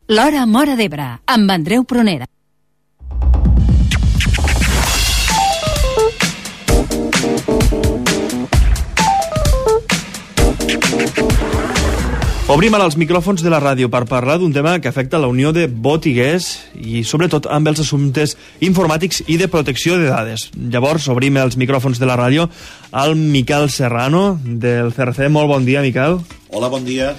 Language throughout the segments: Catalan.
L'Hora Móra d'Ebre, amb Andreu Prunera. Obrim ara els micròfons de la ràdio per parlar d'un tema que afecta la Unió de Botiguers i sobretot amb els assumptes informàtics i de protecció de dades. Llavors obrim els micròfons de la ràdio al Miquel Serrano del CRC. Molt bon dia, Miquel. Hola, bon dia.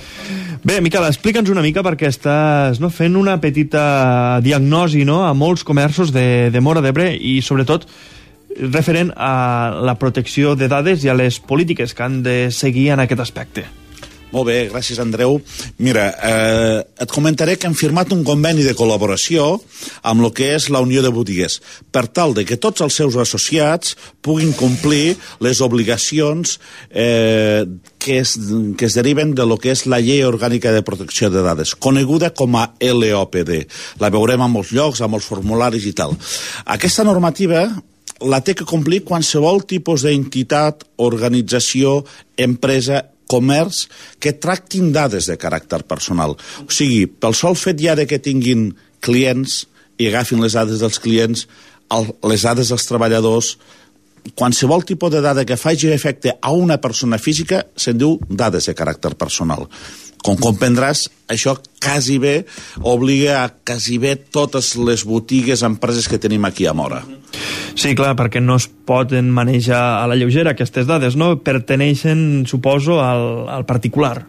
Bé, Miquel, explica'ns una mica perquè estàs fent una petita diagnosi a molts comerços de Móra d'Ebre i sobretot referent a la protecció de dades i a les polítiques que han de seguir en aquest aspecte. Molt bé, gràcies, Andreu. Mira, et comentaré que hem firmat un conveni de col·laboració amb el que és la Unió de Botiguers, per tal de que tots els seus associats puguin complir les obligacions que es deriven de lo que és la Llei Orgànica de Protecció de Dades, coneguda com a LOPD. La veurem a molts llocs, a molts formularis i tal. Aquesta normativa la té que complir qualsevol tipus d'entitat, organització, empresa, comerç que tractin dades de caràcter personal. O sigui, pel sol fet ja de que tinguin clients i agafin les dades dels clients, les dades dels treballadors, qualsevol tipus de dada que faci efecte a una persona física se'n diu dades de caràcter personal. Com comprendràs, això quasi bé obliga a quasi bé totes les botigues, empreses que tenim aquí a Móra. Sí, clar, perquè no es poden manejar a la lleugera aquestes dades, no? Perteneixen, suposo, al particular.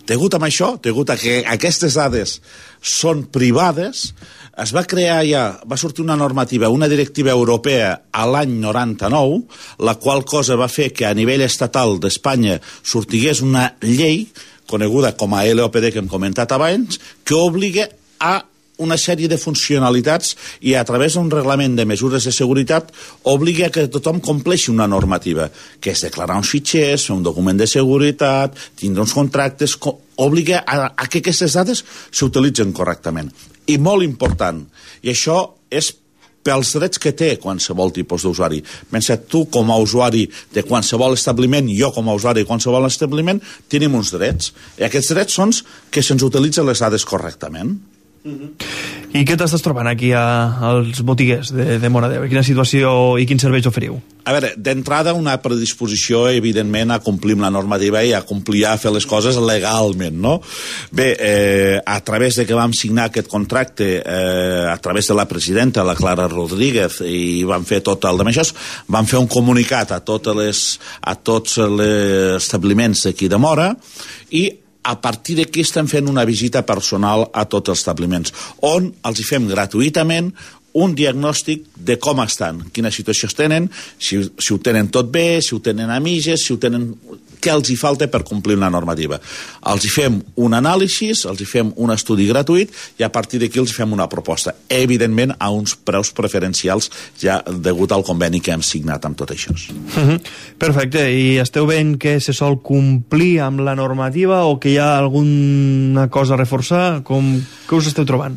Degut a això, degut a que aquestes dades són privades, es va crear va sortir una normativa, una directiva europea a l'any 99, la qual cosa va fer que a nivell estatal d'Espanya sortigués una llei coneguda com a LOPD que hem comentat abans, que obliga a una sèrie de funcionalitats i a través d'un reglament de mesures de seguretat obliga que tothom compleixi una normativa, que és declarar uns fitxers, fer un document de seguretat, tindre uns contractes, obliga a que aquestes dades s'utilitzen correctament. I molt important, i això és pels drets que té qualsevol tipus d'usuari. Pensa, tu com a usuari de qualsevol establiment, jo com a usuari de qualsevol establiment, tenim uns drets. I aquests drets són que se'ns utilitzen les dades correctament. I què t'estàs trobant aquí als botiguers de Móra d'Ebre? Quina situació i quins serveis oferiu? A veure, d'entrada una predisposició evidentment a complir amb la normativa i a complir a fer les coses legalment, no? Bé, a través de que vam signar aquest contracte a través de la presidenta, la Clara Rodríguez, i vam fer tot el demés, vam fer un comunicat a tots els establiments d'aquí de Móra i a partir d'aquí estem fent una visita personal a tots els establiments, on els hi fem gratuïtament un diagnòstic de com estan, quina situació tenen, si ho tenen tot bé, si ho tenen a mitges, què els hi falta per complir una normativa. Els hi fem un anàlisi, els hi fem un estudi gratuït i a partir d'aquí els hi fem una proposta, evidentment a uns preus preferencials ja degut al conveni que hem signat amb tot això. Perfecte, i esteu veient que se sol complir amb la normativa o que hi ha alguna cosa a reforçar? Què us esteu trobant?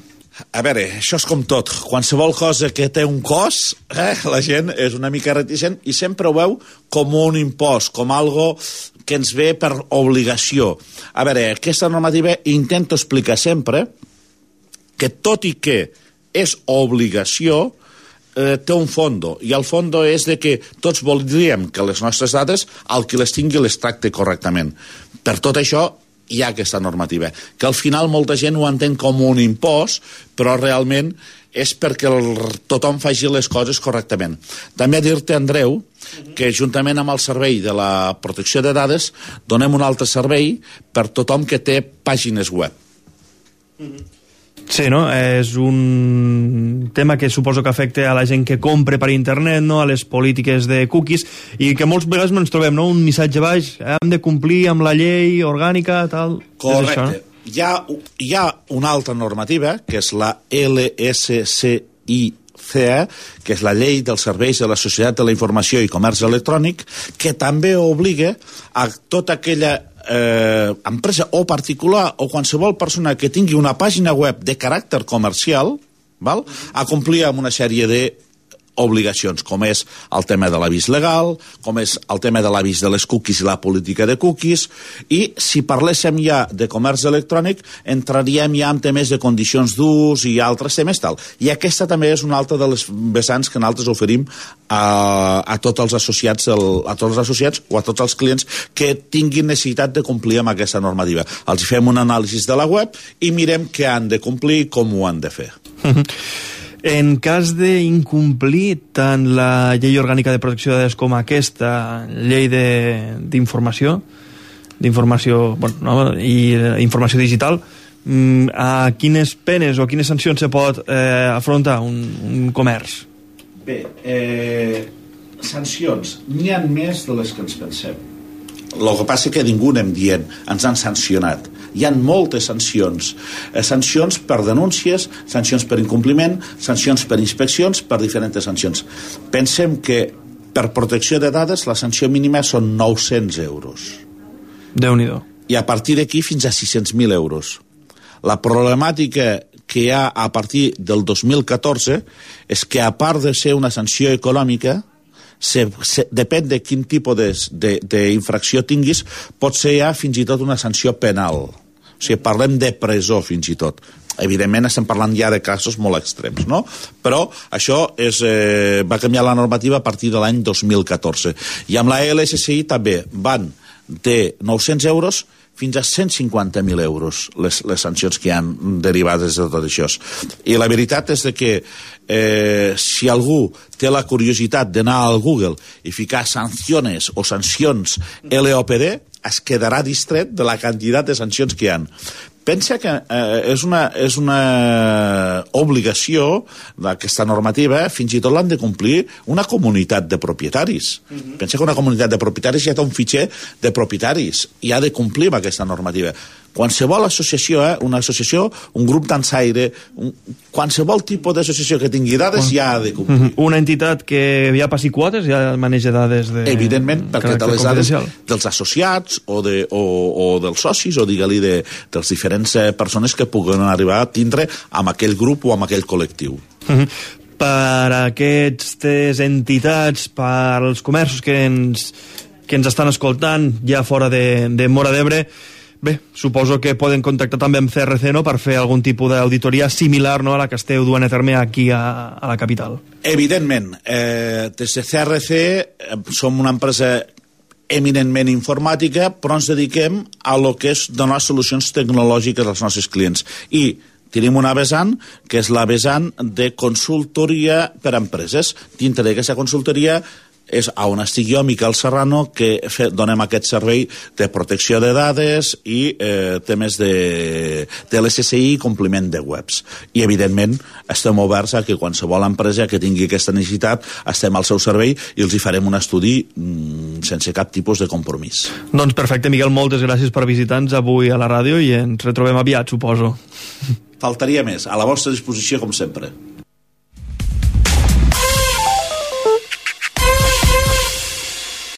A veure, això és com tot. Qualsevol cosa que té un cost, la gent és una mica reticent i sempre ho veu com un impost, com algo que ens ve per obligació. A veure, aquesta normativa intento explicar sempre que tot i que és obligació, té un fondo, i el fondo és de que tots voldríem que les nostres dades, el que les tingui les tracte correctament. Per tot això, hi ha aquesta normativa, que al final molta gent ho entén com un impost, però realment és perquè tothom faci les coses correctament. També dir-te, Andreu, que juntament amb el servei de la protecció de dades donem un altre servei per tothom que té pàgines web. Sí, no? És un tema que suposo que afecta a la gent que compra per internet, no? A les polítiques de cookies, i que molts vegades ens trobem, no? Un missatge baix, hem de complir amb la llei orgànica, tal... Correcte. Això, no? Hi ha una altra normativa, que és la LSCICA, que és la Llei dels Serveis de la Societat de la Informació i Comerç Electrònic, que també obliga a tota aquella empresa o particular o qualsevol persona que tingui una pàgina web de caràcter comercial, a complir amb una sèrie de obligacions, com és el tema de l'avís legal, com és el tema de l'avís de les cookies i la política de cookies, i si parléssim ja de comerç electrònic, entraríem ja en temes de condicions d'ús i altres temes tal. I aquesta també és una altra de les vessants que nosaltres oferim a tots els associats o a tots els clients que tinguin necessitat de complir amb aquesta normativa. Els fem un anàlisi de la web i mirem què han de complir i com ho han de fer. En cas d'incomplir tant la llei orgànica de protecció de dades com aquesta llei d'informació i informació digital, a quines penes o quines sancions se pot afrontar un comerç? Bé, sancions n'hi ha més de les que ens pensem. El que passa que ningú anem dient ens han sancionat. Hi ha moltes sancions. Sancions per denúncies, sancions per incompliment, sancions per inspeccions, per diferents sancions. Pensem que per protecció de dades la sanció mínima són 900 euros. Déu-n'hi-do. I a partir d'aquí fins a 600.000 euros. La problemàtica que hi ha a partir del 2014 és que, a part de ser una sanció econòmica, depèn de quin tipus d'infracció tinguis, pot ser ja fins i tot una sanció penal. O sigui, parlem de presó fins i tot. Evidentment estem parlant ja de casos molt extrems, no? Però això va canviar la normativa a partir de l'any 2014. I amb la LSCI també van de 900 euros fins a 150.000 euros les sancions que hi han derivades de tot això. I la veritat és que si algú té la curiositat d'anar al Google i ficar sancions o sancions LOPD, es quedarà distret de la quantitat de sancions que hi ha. Pensa que és una obligació d'aquesta normativa, fins i tot l'han de complir una comunitat de propietaris. Pensa que una comunitat de propietaris ja té un fitxer de propietaris i ha de complir amb aquesta normativa. Qualsevol associació, una associació, un grup dansaire, qualsevol tipus d'associació que tingui dades ja ha de complir. Una entitat que ja passi quotes ja maneja dades de... Evidentment, perquè té les dades dels associats o dels socis o digue-li dels diferents persones que puguen arribar a tindre amb aquell grup o amb aquell col·lectiu. Per aquestes entitats, per als comerços que ens estan escoltant ja fora de Móra d'Ebre, bé, suposo que poden contactar també amb CRC, no?, per fer algun tipus d'auditoria similar, no?, a la que esteu duent a terme aquí a la capital. Evidentment. Des de CRC som una empresa eminentment informàtica, però ens dediquem a lo que és donar solucions tecnològiques als nostres clients. I tenim una vessant, que és la vessant de consultoria per a empreses. Dintre d'aquesta consultoria és on estic jo, Miquel Serrano, que donem aquest servei de protecció de dades i temes de l'SSI i compliment de webs. I, evidentment, estem oberts a que qualsevol empresa que tingui aquesta necessitat estem al seu servei i els hi farem un estudi sense cap tipus de compromís. Doncs perfecte, Miquel, moltes gràcies per visitar-nos avui a la ràdio i ens retrobem aviat, suposo. Faltaria més. A la vostra disposició, com sempre.